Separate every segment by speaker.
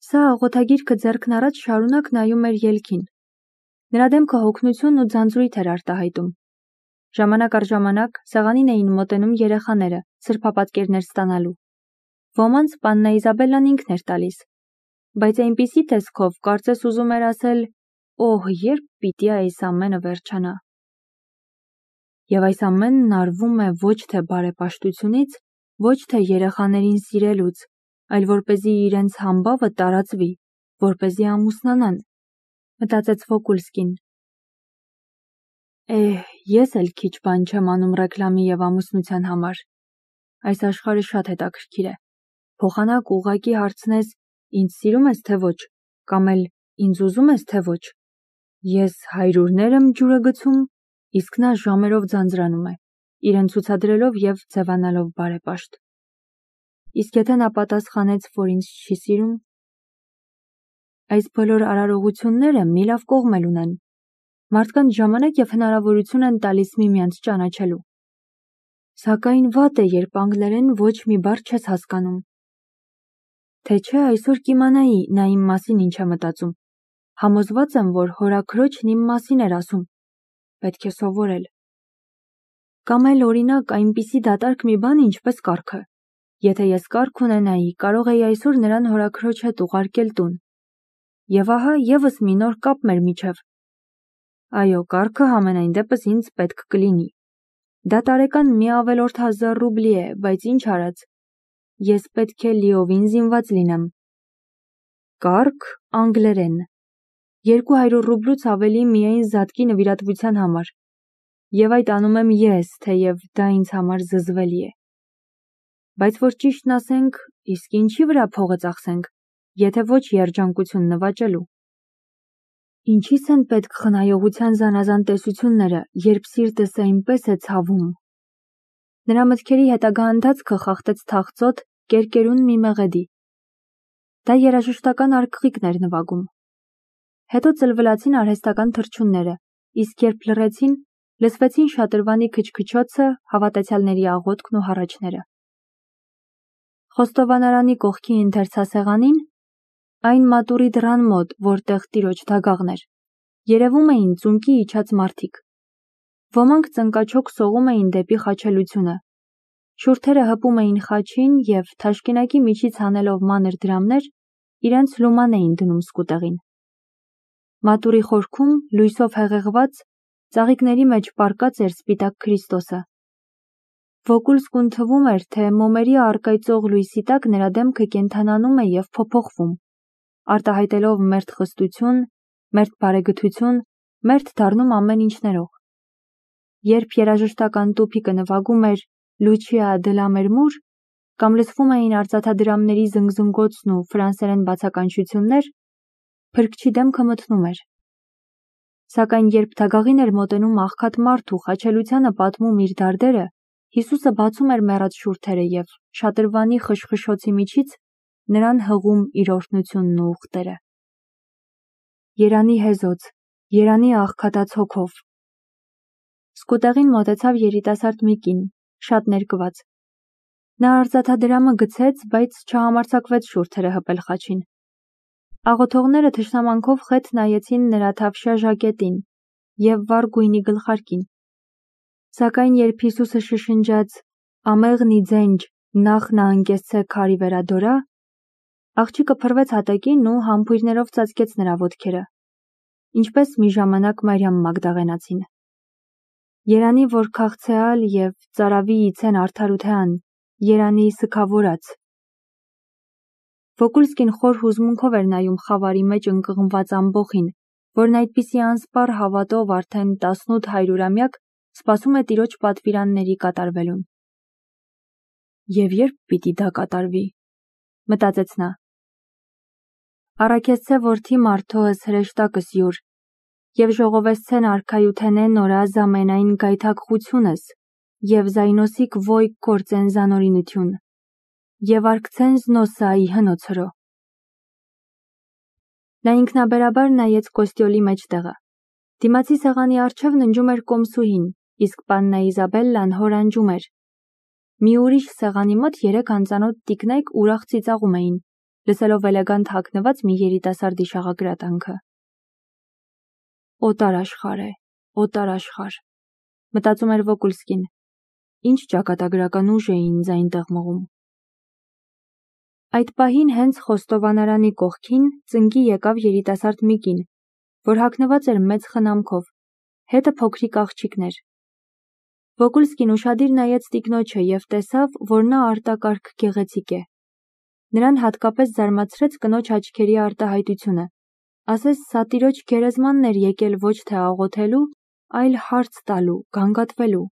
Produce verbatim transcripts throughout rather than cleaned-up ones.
Speaker 1: Սա աղոթագիրքը ձեռքն առած շարունակ նայում էր ելքին։ Նրա դեմքը հոգնություն ու ձանձրույթ էր արտահայտում։ Ժամանակ առ ժամանակ սեղանին էին մոտենում երեխաները, սրբապատկերներ ստանալու։ Ոմանց Պաննա Իզաբելլան ինքն էր տալիս, բայց այնպիսի տեսքով կարծես ուզում էր ասել. «Օհ, երբ պիտի այս ամենը վերջանա»։ Եվ այս ամենն արվում է ոչ թե բարեպաշտությունից, ոչ թե երեխաներին սիրելուց, այլ որպեսզի իրենց համբավը տարածվի, որպեսզի ամուսնանան, մտածեց Վոկուլսկին։ Էհ, ես էլ քիչ բան չեմ անում ռեկլամի և ամուսնության համար։ Այս աշխարհը շատ հետաքրքիր է։ Փոխանակ ուղղակի հարցնես, ինձ սիրում ես թե ոչ, կամ էլ ինձ ուզում ես թե ոչ։ Ես հայրուրներ եմ ջուրը գցում, իսկ նա ժամերով ձանձրանում է, իրեն ցուցադրելով և ձևանալով բարեպաշտ։ Իսկ եթե նա պատասխանեց, որ ինձ չի սիրում։ Այս բոլոր արարողությունները մի լավ կողմ էլ ունեն։ Մարդկանց ժամանակ և հնարավորություն են տալիս միմյանց ճանաչելու։ Սակայն վատ է, երբ անգլերեն ոչ մի բառ չես հասկանում։ Թե չէ այսօր կիմանայի նա իմ մասին ինչ է մտածում։ Համոզված եմ, որ հորաքրոջն իմ մասին էր ասում։ Պետք է սովորել։ Կամ էլ օրինակ այնպիսի դատարկ մի բան, ինչպես կառքը։ Եթե ես կառք ունենայի, կարող էի այսօր նրան հորաքրոջ հետ ուղարկել տուն։ Եվ ահա ևս մի նոր կապ մեր միջև։ Այո, կառքը համենայն դեպս ինձ պետք կլինի։ Դա տարեկան մի ավելորդ հազար ռուբլի է, բայց ինչ արած։ Ես պետք է լիովին զինված լինեմ։ Կառք, անգլերեն։ Երկու հարյուր ռուբլուց ավելի միայն զատկի նվիրատվության համար։ Եվ այդ անում եմ ես, թեև դա ինձ համար զզվելի է։ Բայց որ ճիշտն ասենք, իսկ ինչի վրա փողը ծախսենք, եթե ոչ երջանկություն նվաճելու։ Ինչի՞ս են պետք խնայողության զանազան տեսությունները, երբ սիրտս այնպես է ցավում։ Նրա մտքերի հետագա ընթացքը խախտեց թախծոտ, կերկերուն մի մեղեդի։ Դա երաժշտական արկղիկն էր նվագում։ Հետո ծլվլացին արհեստական թռչունները, իսկ երբ լռեցին, լսվեցին շատրվանի քչքչոցը, հավատացյալների աղոթքն ու հառաչները։ Խոստովանարանի կողքի ընթերցասեղանին, այն մատուրի դռան մոտ, որտեղ տիրոջ դագաղն էր, երևում էին ծունկի իջած մարդիկ։ Ոմանք ծնկաչոք սողում էին դեպի խաչելությունը։ Շուրթերը հպում էին խաչին և թաշկինակի միջից հանելով մանր դրամներ, իրենց լուման էին դնում սկուտեղին։ Մատուրի խորքում, լույսով հեղեղված, ծաղիկների մեջ պառկած էր սպիտակ Քրիստոսը։ Վոկուլսկուն թվում էր, թե մոմերի առկայծող լույսի տակ նրա դեմքը կենդանանում է և փոփոխվում, արտահայտելով մերթ խստություն, մերթ բարեգթություն, մերթ դառնում ամեն ինչ ներող։ Երբ երաժշտական տուփիկը նվագում էր Լուչիա դե լա Մերմուր, կամ լսվում էին արծաթադրամների զնգզնգոցն ու ֆրանսերեն բացականչություններ, փրկչի դեմքը մթնում էր։ Սակայն երբ դագաղին էր մոտենում աղքատ մարդ ու խաչելությանը պատմում իր դարդերը, Հիսուսը բացում էր մեռած շուրթերը և շատրվանի խշխշոցի միջից նրան հղում իր օրհնությունն ու ուխտերը։ Երանի հեզոց, երանի աղքատած հոգով։ Սկուտեղին մոտեցավ երիտասարդ մի կին, շատ ներկված։ Նա արծաթադրամը գցեց, բայց չհամարձակվեց շուրթերը հպել խաչին։ Աղոթողները թշնամանքով խետ նայեցին նրա թավշյա ժակետին և վառ գույնի գլխարկին։ Սակայն երբ Հիսուսը շշնջաց «Ամեղնի ձենջ, նախ նա անկեսցե քարի վերադորա», աղջիկը փռվեց հատակին ու համբույրներով ծածկեց նրա ոտքերը, ինչպես մի ժամանակ Մարիամ Մագդաղենացին։ Երանի որ քաղցեալ և ծարավի իցեն արդարութեան, երանի սգավորած։ Վոկուլսկին խոր հուզմունքով էր նայում խավարի մեջ ընկղմված ամբոխին, որն այդպիսի անսպառ հավատով արդեն տասնութ հարյուրամյակ սպասում է տիրոջ պատվիրանների կատարվելուն։ Եվ երբ պիտի դա կատարվի, մտածեց նա։ Առաքեսցե որդի մարդոս հրեշտակս յուր, և ժողովեսցեն արքայութենե նորա զամենայն գայթակղությունս, և զայնոսիկ ոյ կործեն զանորինություն, և արկցեն զնոսայի հնոցրո։ Նա ինքնաբերաբար նայեց կոստյոլի մեջտեղը։ Դիմացի սեղանի առջև ննջում էր կոմսուհին, իսկ Պաննա Իզաբելլան հորանջում էր։ Մի ուրիշ սեղանի մոտ երեք անծանոթ տիկնայք ուրախ ծիծաղում էին, լսելով էլեգանտ հագնված մի երիտասարդի շաղակրատանքը։ Օտար աշխարհ է, օտար աշխարհ, մտածում էր Վոկուլսկին, ինչ ճակատագրական ուժ է ինձ այնտեղ մղում։ Այդ պահին հենց խոստովանարանի կողքին ծնկի եկավ երիտասարդ մի կին, որ հագնված էր մեծ խնամքով, հետը փոքրիկ աղջիկներ։ Վոկուլսկին ուշադիր նայեց տիկնոջը և տեսավ, որ նա արտակարգ գեղեցիկ է։ Նրան հատկապես զարմացրեց կնոջ աչքերի արտահայտությունը, ասես սա տիրոջ գերեզմանն էր եկել ոչ թե աղոթելու, այլ հարց տալու, գանգատվելու։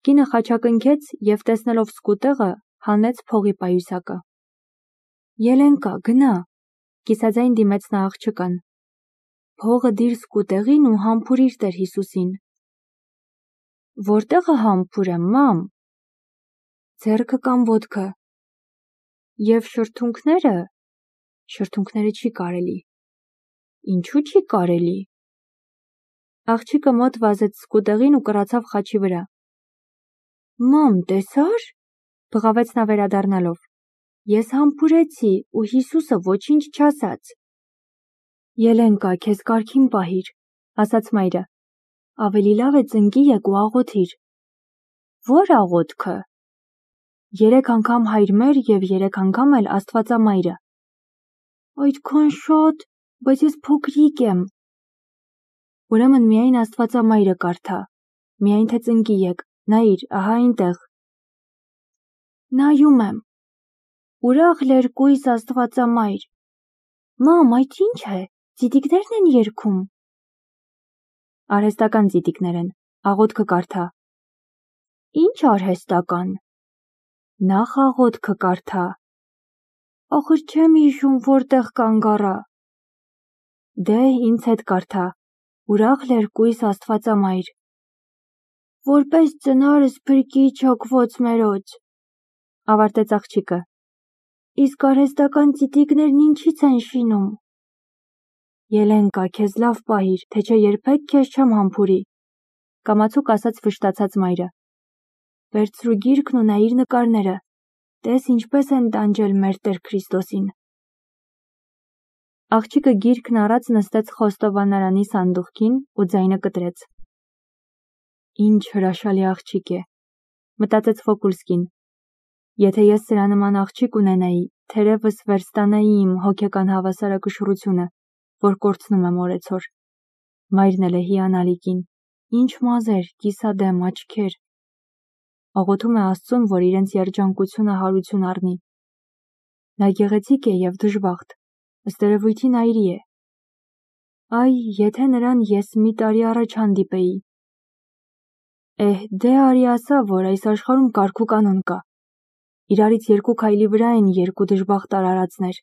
Speaker 1: Կինը խաչակնքեց և տեսնելով սկուտեղը, հանեց փողի պայուսակը։ Ելենկա, գնա, կիսաձայն դիմեց նա աղջկան։ Փողը դիր սկուտեղին ու համբուրիր Տեր Հիսուսին։ Որտեղը համբուրեմ, մամ։ Ձեռքը կամ ոտքը։ Եվ շրթունքները։ Շրթունքները չի կարելի։ Ինչու չի կարելի։ Աղջիկը մոտ վազեց սկուտեղին ու կռացավ խաչի վրա։ Մամ, տեսա՞ր, բղավեց նա վերադառնալով։ Ես համբուրեցի ու Հիսուսը ոչինչ չասաց։ Ելենկա, քեզ կարգին պահիր, ասաց մայրը։ Ավելի լավ է ծնկի եկ ու աղոթիր։ Ո՞ր աղոթքը։ Երեք անգամ Հայր մեր և երեք անգամ էլ Աստվածամայրը։ Այդքան շատ, բայց ես փոքրիկ եմ։ Ուրեմն միայն Աստվածամայրը կարդա, միայն թե ծնկի եկ, նայիր, ահա այնտեղ։ Նայում եմ։ Ուրախ լերկույս Աստվածամայր։ Մամ, այդ ինչ է, ծիտիկներն են երգում։ Արհեստական ծիտիկներ են, աղոթքը կարդա։ Ինչ արհեստական։ Նախ աղոթքը կարդա։ Ախր չեմ հիշում որտեղ կանգ առա։ Դե ինձ հետ կարդա, ուրախ լերկույս Աստվածամայր։ Որպես ծնարս փրկիչ հոգվոց մերոց, ավարտեց աղջիկը։ Իսկ արհեստական ծիտիկներն ինչից են շինում։ Ելենկա, քեզ լավ պահիր, թե չէ երբեք քեզ չեմ համբուրի, կամացուկ ասաց վշտացած մայրը։ Վերցրու գիրքն ու նայիր նկարները, տես ինչպես են տանջել մեր Տեր Քրիստոսին։ Աղջիկը գիրքն առած նստեց խոստովանարանի սանդուղքին ու ձայնը կտրեց։ Ինչ հրաշալի աղջիկ է, մտածեց Վոկուլսկին։ Եթե ես սրա նման աղջիկ ունենայի, թերևս վերստանայի իմ հոգեկան հավասարակշռությունը, որ կորցնում եմ օրեցօր։ Մայրն էլ է հիանալի կին, ինչ մազեր, կիսադեմ, աչքեր։ Աղոթում է Աստծուն, որ իրենց երջանկությունը հարություն առնի։ Նա գեղեցիկ է և դժբախտ, ըստ երևույթին այրի է։ Այ, եթե նրան ես մի տարի առաջ հանդիպեի։ Էհ, դե արի ասա, որ այս աշխարհում կարգ ու կանոն կա։ Իրարից երկու քայլի վրա են երկու դժբախտ արարածներ։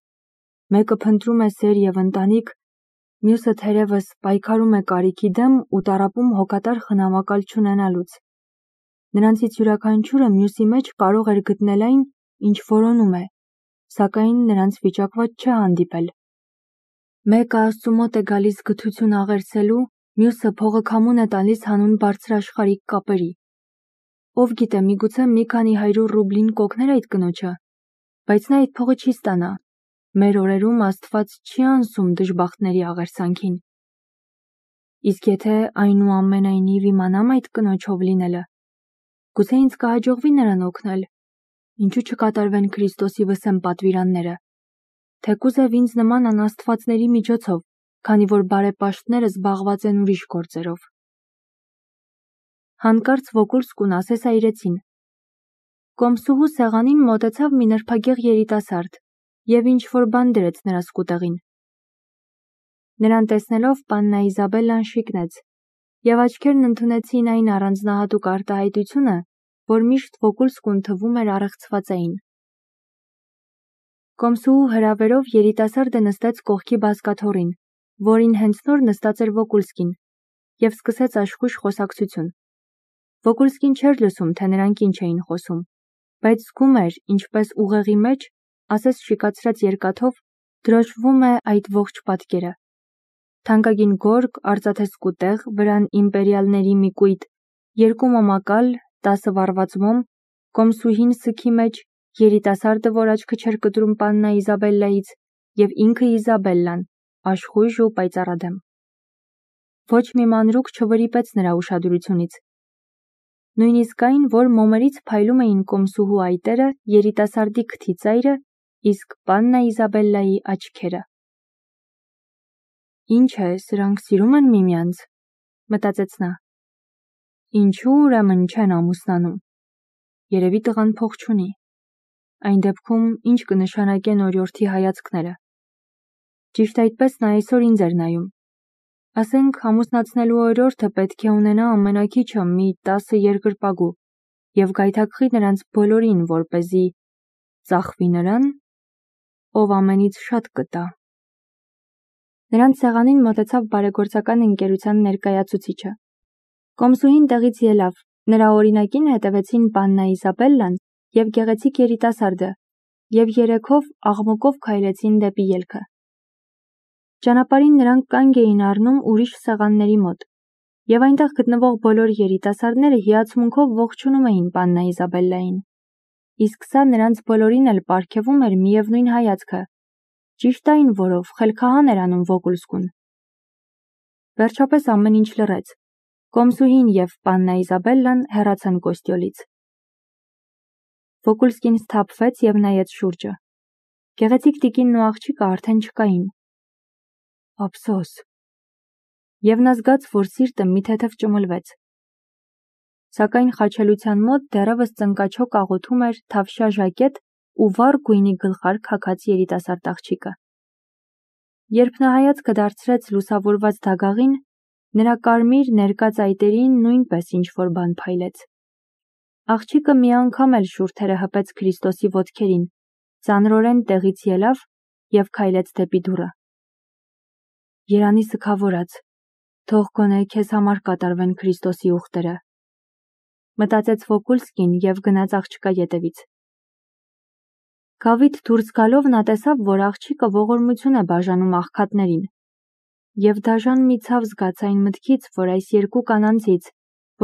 Speaker 1: Մեկը փնտրում է սեր և ընտանիք, մյուսը թերևս պայքարում է կարիքի դեմ ու տառապում հոգատար խնամակալ չունենալուց։ Նրանցից յուրաքանչյուրը մյուսի մեջ կարող էր գտնել այն, ինչ որոնում է, սակայն նրանց վիճակված չէ հանդիպել։ Մեկը Աստծու մոտ է գալիս գթություն աղերսելու, մյուսը փողը քամուն է տալիս հանուն բարձրաշխարհիկ կապերի։ Ով գիտե, միգուցե մի քանի հարյուր ռուբլին կօգներ այդ կնոջը, բայց նա այդ փողը չի ստանա։ Մեր օրերում Աստված չի անսում դժբախտների աղերսանքին։ Իսկ եթե այնուամենայնիվ իմանամ այդ կնոջով լինելը, գուցե ինձ կհաջողվի նրան օգնել, ինչու չկատարվեն Քրիստոսի վսեմ պատվիրանները, թեկուզև ինձ նման անաստվածների միջոցով, քանի որ բարեպաշտները զբաղված են ուրիշ գործերով։ Հանկարծ Վոկուլսկուն ասես այրեցին։ Կոմսուհու սեղանին մոտեցավ մի նրբագեղ երիտասարդ և ինչ-որ բան դրեց նրա սկուտեղին։ Նրան տեսնելով պաննա Իզաբելլան շիկնեց, և աչքերն ընդունեցին այն առանձնահատուկ արտահայտությունը, որ միշտ Վոկուլսկուն թվում էր առեղծվածային։ Կոմսուհու հրավերով երիտասարդը նստեց կողքի բազկաթոռին, որին հենց նոր նստած էր Վոկուլսկին, և սկսեց աշխույժ խոսակցություն։ Վոկուլսկին չէր լսում, թե նրանք ինչ էին խոսում, բայց զգում էր, ինչպես ուղեղի մեջ, ասես շիկացրած երկաթով, դրոշվում է այդ ողջ պատկերը։ Թանկագին գորգ, արծաթե սկուտեղ, վրան իմպերիալների մի կույտ, երկու մոմակալ, տասը վառված մոմ, կոմսուհին սքի մեջ երիտասարդը, որ աչքը չէր կտրում պաննա Իզաբելլայից, և ինքը Իզաբելլան, աշխույժ ու պայծառադեմ։ Ոչ մի մանրուք չվրիպեց նրա ուշադրությունից։ Նույնիսկ այն, որ մոմերից փայլում էին կոմսուհու այտերը, երիտասարդի քթի ծայրը, իսկ պաննա Իզաբելլայի աչքերը։ Ինչ է, սրանք սիրում են միմյանց, մտածեց նա։ Ինչու ուրեմն չեն ամուսնանում։ Երևի տղան փող չունի։ Այն դեպքում ինչ կնշանակեն օրիորդի հայացքները։ Ճիշտ այդպես նա այսօր ինձ էր նայում։ Ասենք ամուսնացնելու օրիորդը պետք է ունենա ամենաքիչը մի տասը երկրպագու և գայթակղի նրանց բոլորին, որպեսզի ծախվի նրան, ով ամենից շատ կտա։ Նրանց սեղանին մոտեցավ բարեգործական ընկերության ներկայացուցիչը։ Կոմսուհին տեղից ելավ, նրա օրինակին հետևեցին պաննա Իզաբելլան և գեղեցիկ երիտասարդը, և երեքով աղմուկով քայլեցին դեպի ելքը։ Ճանապարհին նրանք կանգ էին առնում ուրիշ սեղանների մոտ, և այնտեղ գտնվող բոլոր երիտասարդները հիացմունքով ողջունում էին պաննա Իզաբելլային, իսկ սա նրանց բոլորին էլ պարգևում էր միևնույն հայացքը, ճիշտ այն, որով խելքահան էր անում Վոգուլսկուն։ Վերջապես ամեն ինչ լռեց։ Կոմսուհին և պաննա Իզաբելլան հեռացան կոստյոլից։ Վոգուլսկին սթափվեց և նայեց շուրջը։ Գեղեցիկ տիկինն ու աղջիկը արդեն չկային։ Ափսոս։ Եվ նա զգաց, որ սիրտը մի թեթև ճմլվեց։ Սակայն խաչելության մոտ դեռևս ծնկաչոք աղոթում էր թավշյա ժակետ ու վառ գույնի գլխարկ հագած երիտասարդ աղջիկը։ Երբ նա հայացքը դարձրեց լուսավորված դագաղին, նրա կարմիր ներկա ծայտերին նույնպես ինչ-որ բան փայլեց։ Աղջիկը մի անգամ էլ շուրթերը հպեց Քրիստոսի ոտքերին, ծանրորեն տեղից ելավ և քայլեց դեպի դուռը։ Երանի սգավորած, թող գոնե քեզ համար կատարվեն Քրիստոսի ուխտերը, մտածեց Վոգուլսկին և գնաց աղջկա ետևից։ Գավիթ դուրս գալով նա տեսավ, որ աղջիկը ողորմություն է բաժանում աղքատներին, և դաժան մի ցավ զգաց այն մտքից, որ այս երկու կանանցից,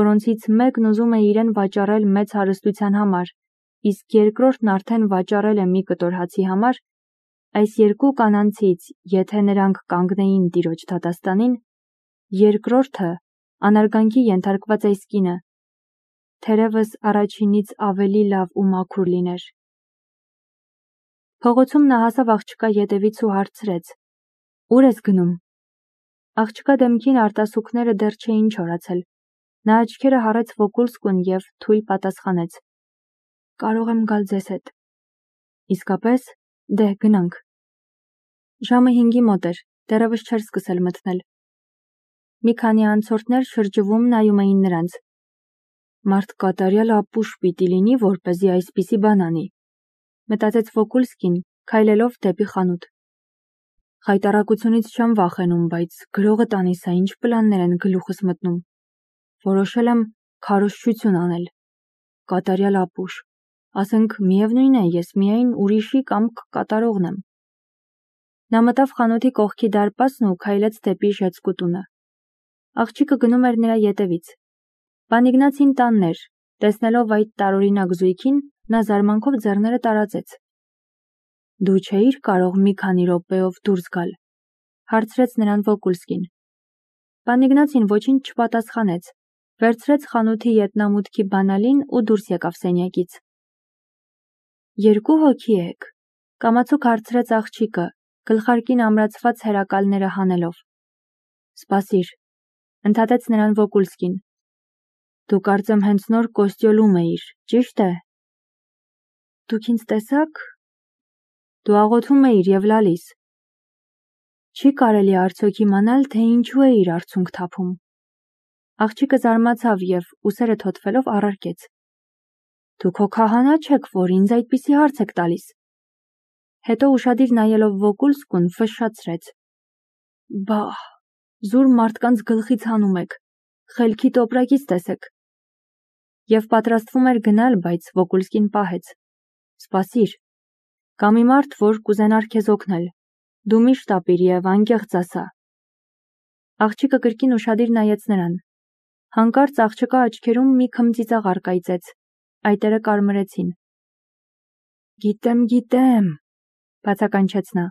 Speaker 1: որոնցից մեկն ուզում է իրեն վաճառել մեծ հարստության համար, իսկ երկրորդն արդեն վաճառել է մի կտոր հացի համար, այս երկու կանանցից, եթե նրանք կանգնեին Տիրոջ դատաստանին, երկրորդը, անարգանքի ենթարկված այս կինը, թերևս առաջինից ավելի լավ ու մաքուր լիներ։ Փողոցում նա հասավ աղջկա ետևից ու հարցրեց. Ուր ես գնում։ Աղջկա դեմքին արտասուքները դեռ չէին չորացել։ Նա աչքերը հառեց Վոգուլսկուն և թույլ պատասխանեց. Կարող եմ գալ ձեզ հետ։ Իսկապես, դե գնանք։ Ժամը հինգի մոտ էր, դեռևս չէր սկսել մթնել։ Մի քանի անցորդներ շրջվում նայում էին նրանց։ Մարդ կատարյալ ապուշ պիտի լինի, որպեսզի այսպիսի բան անի, մտածեց Վոգուլսկին, քայլելով դեպի խանութ։ Խայտառակությունից չեմ վախենում, բայց գրողը տանիսա ինչ պլաններ են գլուխս մտնում։ Որոշել եմ քարոզչություն անել։ Կատարյալ ապուշ, ասենք միևնույն է, ես միայն ուրիշի կամք կատարողն եմ։ Նա մտավ խանութի կողքի դարպասն ու քայլեց դեպի ժեցկու տունը։ Աղջիկը գնում էր նրա ետևից։ Պան Իգնացին տանն էր, տեսնելով այդ տարօրինակ զույգին, նա զարմանքով ձեռները տարածեց։ Դու չէիր կարող մի քանի րոպեով դուրս գալ, հարցրեց նրան Վոգուլսկին։ Պան Իգնացին ոչինչ չպատասխանեց, վերցրեց խանութի ետնամուտքի բանալին ու դուրս եկավ սենյակից։ Երկու հոգի եք, կամացուկ հարցրեց աղջիկը, գլխարկին ամրացված հերակալները հանելով։ Սպասիր, ընդհատեց նրան Վոգուլսկին։ Դու կարծեմ հենց նոր կոստյոլում էիր, ճիշտ է։ Դուք ինձ տեսաք։ Դու աղոթում էիր և լալիս։ Չի կարելի արդյոք իմանալ, թե ինչու էիր արցունք թափում։ Աղջիկը զարմացավ և ուսերը թոթվելով առարկեց. Դուք հո քահանա չեք, որ ինձ այդպիսի հարց եք տալիս։ Հետո ուշադիր նայելով Վոգուլսկուն ֆշշացրեց. Բա, զուր մարդկանց գլխից հանում եք, խելքի տոպրակից տեսեք։ Եվ պատրաստվում էր գնալ, բայց Վոգուլսկին պահեց. Սպասիր, կա մի մարդ, որ կուզենար քեզ օգնել։ Դու միշտ ապիր և անկեղծ ասա։ Աղջիկը կրկին ուշադիր նայեց նրան։ Հանկարծ աղջկա աչքերում մի քմծիծաղ առկայծեց, այտերը կարմրեցին։ Գիտեմ, գիտեմ, բացականչեց նա։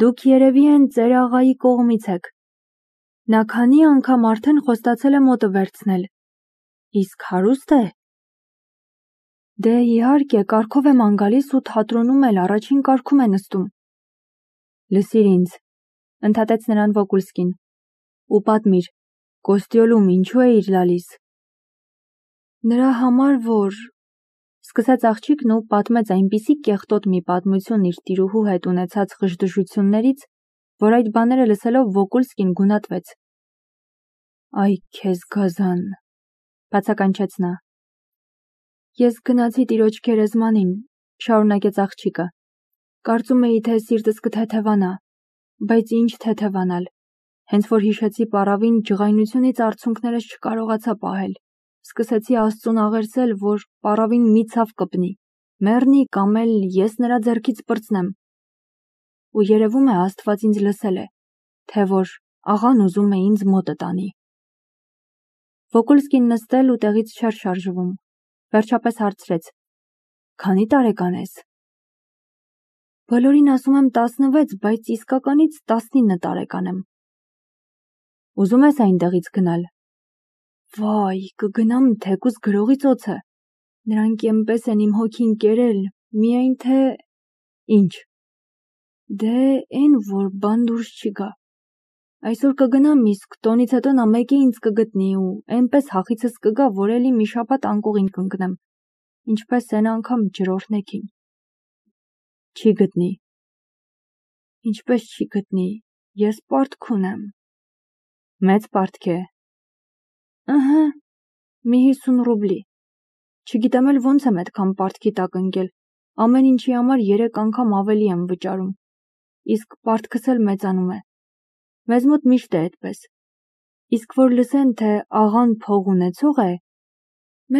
Speaker 1: Դուք երևի են ծեր աղայի կողմից եք։ Նա քանի անգամ արդեն խոստացել է մոտը վերցնել։ Իսկ հարուստ է։ Դե իհարկե, կարգով եմ անգալիս ու թատրոնում էլ առաջին կարգում է նստում։ Լսիր ինձ, ընդհատեց նրան Վոկուլսկին, ու պատմիր, Կոստյոլում ինչու էիր լալիս։ Նրա համար, որ… Սկսեց աղջիկն ու պատմեց այնպիսի կեղտոտ մի պատմություն իր տիրուհու հետ ունեցած խժդժություններից, որ այդ բաները լսելով Վոկուլսկին գունատվեց։ Այ քեզ գազան, բացականչեց նա։ Ես գնացի տիրոջ գերեզմանին, շարունակեց աղջիկը։ Կարծում էի, թե սիրտս կթեթևանա, բայց ինչ թեթևանալ, հենց որ հիշեցի պառավին ջղայնությունից արցունքներս չկարողացա պահել, սկսեցի Աստծուն աղերսել, որ պառավին մի ցավ կպնի, մեռնի կամ էլ ես նրա ձեռքից պրծնեմ։ Ու երևում է Աստված ինձ լսել է, թե որ աղան ուզում է ինձ մոտը տանի։ Վոկուլսկին նստել ու տեղից չէր շարժվում, վերջապես հարցրեց. Քանի տարեկան ես։ Բոլորին ասում եմ տասնվեց, բայց իսկականից տասնինը տարեկան եմ։ Ուզում ես այնտեղից գնալ։ Վայ, կգնամ թեկուզ գրողի ծոցը։ Նրանք էնպես են իմ հոգին կերել, միայն թե… Ինչ։ Դե էն որ բան դուրս չի գա։ Այսօր կգնամ, իսկ տոնից հետո նա մեկը ինձ կգտնի ու էնպես հախիցս կգա, որ էլի մի շաբաթ անկողին կընկնեմ, ինչպես էն անգամ ջրօրհնեքին։ Չի գտնի։ Ինչպես չի գտնի, ես պարտք ունեմ։ Մեծ պարտք է։ Ըհը, մի հիսուն ռուբլի։ Չգիտեմ էլ ոնց եմ այդքան պարտքի տակ ընկել, ամեն ինչի համար երեք անգամ ավելի եմ վճարում, իսկ պարտքս էլ մեծանում է։ Մեզ մոտ միշտ է այդպես։ Իսկ որ լսեն, թե աղան փող ունեցող է,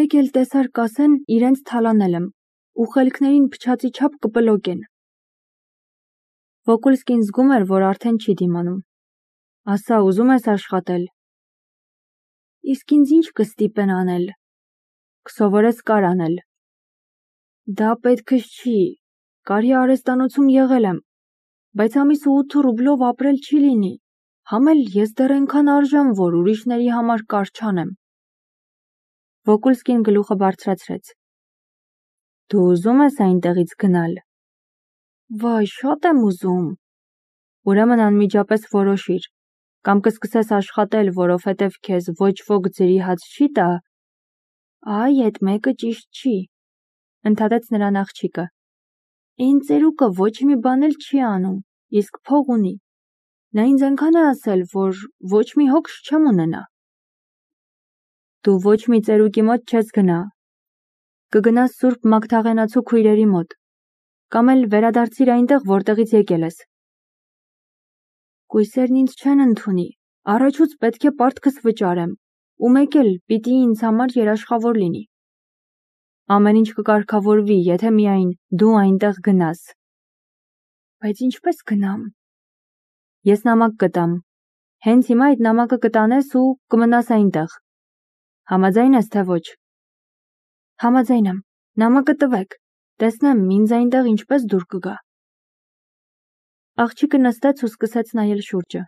Speaker 1: մեկ էլ տեսար կասեն իրենց թալանել եմ, ու խելքներին փչացի չափ կպլոկեն։ Վոկուլսկին զգում էր, որ արդեն չի դիմանում։ Ասա, ուզում ես աշխատել։ Իսկ ինձ ինչ կստիպեն անել։ Կսովորես կար անել։ Դա պետքս չի, կարի արհեստանոցում եղել եմ, բայց ամիսը ութ ռուբլով ապրել չի լինի։ Համ էլ ես դեռ այնքան արժեմ, որ ուրիշների համար կար չանեմ։ Վոկուլսկին գլուխը բարձրացրեց։ Դու ուզում ես այնտեղից գնալ։ Վայ, շատ եմ ուզում։ Ուրեմն անմիջապես որոշիր, կամ կսկսես աշխատել, որովհետև քեզ ոչ ոք ձրի հաց չի տա։ Այ, այդ մեկը ճիշտ չի, ընդհատեց նրան աղջիկը։ Էն ծերուկը ոչ մի բան էլ չի անում, իսկ փող ունի։ Նա ինձ այնքան է ասել, որ ոչ մի հոգ չեմ ունենա։ Դու ոչ մի ծերուկի մոտ չես գնա։ Կգնաս Սուրբ Մագդաղենացու քույրերի մոտ, կամ էլ վերադարձիր այնտեղ, որտեղից եկել ես։ Կույսերն ինձ չեն ընդունի, առաջուց պետք է պարտքս վճարեմ, ու մեկ էլ պիտի ինձ համար երաշխավոր լինի։ Ամեն ինչ կկարգավորվի, եթե միայն դու այնտեղ գնաս։ Բայց ինչպես գնամ։ Ես նամակ կտամ։ Հենց հիմա այդ նամակը կտանես ու կմնաս այնտեղ։ Համաձայն ես, թե ոչ։ Համաձայն եմ, նամակը տվեք, տեսնեմ ինձ այնտեղ ինչպես դուր կգա։ Աղջիկը նստեց ու սկսեց նայել շուրջը։